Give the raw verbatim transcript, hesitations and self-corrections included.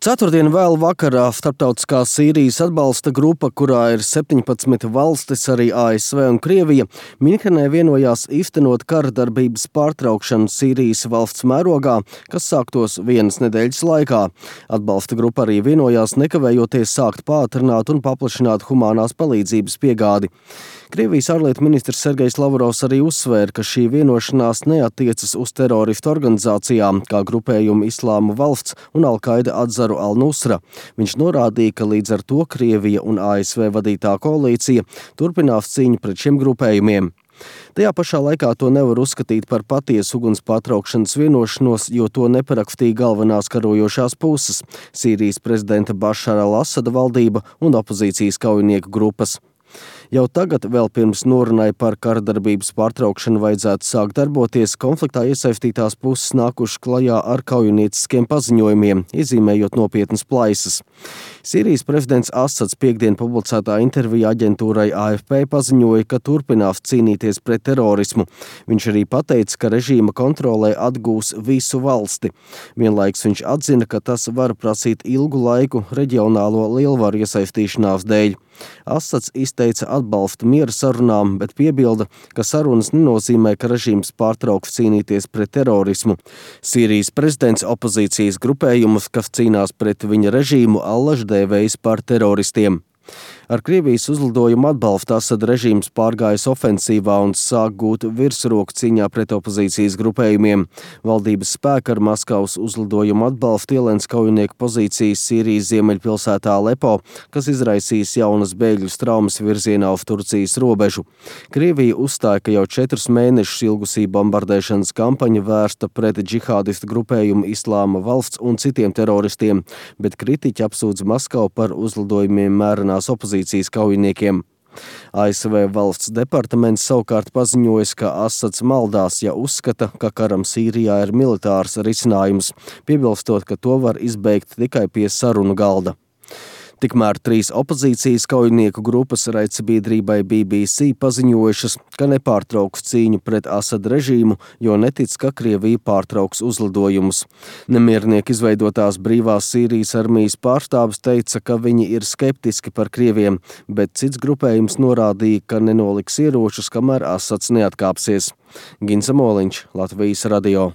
Ceturtdien vēl vakarā starptautiskā Sīrijas atbalsta grupa, kurā ir septiņpadsmit valstis, arī A S V un Krievija, Minhenē vienojās īstenot kara darbības pārtraukšanu Sīrijas valsts mērogā, kas sāktos vienas nedēļas laikā. Atbalsta grupa arī vienojās nekavējoties sākt pātrināt un paplašināt humānās palīdzības piegādi. Krievijas ārlietu ministrs Sergejs Lavrovs arī uzsvēra, ka šī vienošanās neatiecas uz teroristu organizācijām, kā grupējumu Islāma valsts un Al-Qaida atzaru Al-Nusra. Viņš norādīja, ka līdz ar to Krievija un A S V vadītā koalīcija turpinās cīņu pret šiem grupējumiem. Tajā pašā laikā to nevar uzskatīt par patiesu uguns pārtraukšanas vienošanos, jo to neparakstīja galvenās karojošās puses – Sīrijas prezidenta Bašara al-Asada valdība un opozīcijas kaujinieku grupas. Jau tagad, vēl pirms norunai par karadarbības pārtraukšanu vajadzētu sākt darboties, konfliktā iesaistītās puses nākuši klajā ar kaujinieciskiem paziņojumiem, iezīmējot nopietnas plaisas. Sīrijas prezidents Asads piekdien publicētā intervijā aģentūrai A F P paziņoja, ka turpinās cīnīties pret terorismu. Viņš arī pateica, ka režīma kontrolē atgūs visu valsti. Vienlaiks viņš atzina, ka tas var prasīt ilgu laiku reģionālo lielvaru iesaistīšanās dēļ. Asads izteica atbalstu miera sarunām, bet piebilda, ka sarunas nenozīmē, ka režīms pārtrauks cīnīties pret terorismu. Sīrijas prezidents opozīcijas grupējumus, kas cīnās pret viņa režīmu, allaž dēvējis par teroristiem. Ar Krievijas uzlidojumu atbalstu Asada režīms pārgājis ofensīvā un sāk gūt virsroku cīņā pret opozīcijas grupējumiem. Valdības spēki ar Maskavas uzlidojumu atbalstu ielēns kaujinieku pozīcijas Sīrijas ziemeļpilsētā Alepo, kas izraisīs jaunas bēgļu traumas virzienā uz Turcijas robežu. Krievija uzstāja, ka jau četrus mēnešus ilgusī bombardēšanas kampaņa vērsta pret džihādistu grupējumu Islāma valsts un citiem teroristiem, bet kritiķi apsūdz Maskavu par uzlidojumiem mērenās opozīcijas kaujiniekiem. A S V valsts departaments savukārt paziņojas, ka Asads maldās, ja uzskata, ka karam Sīrijā ir militārs risinājums, piebilstot, ka to var izbeigt tikai pie sarunu galda. Tikmēr trīs opozīcijas kaujinieku grupas raidsabiedrībai B B C paziņojušas, ka nepārtrauks cīņu pret Asada režīmu, jo netic, ka Krievija pārtrauks uzlidojumus. Nemiernieku izveidotās brīvās Sīrijas armijas pārstāvis teica, ka viņi ir skeptiski par Krieviem, bet cits grupējums norādīja, ka nenoliks ieročus, kamēr Asads neatkāpsies. Gins Amoliņš, Latvijas radio.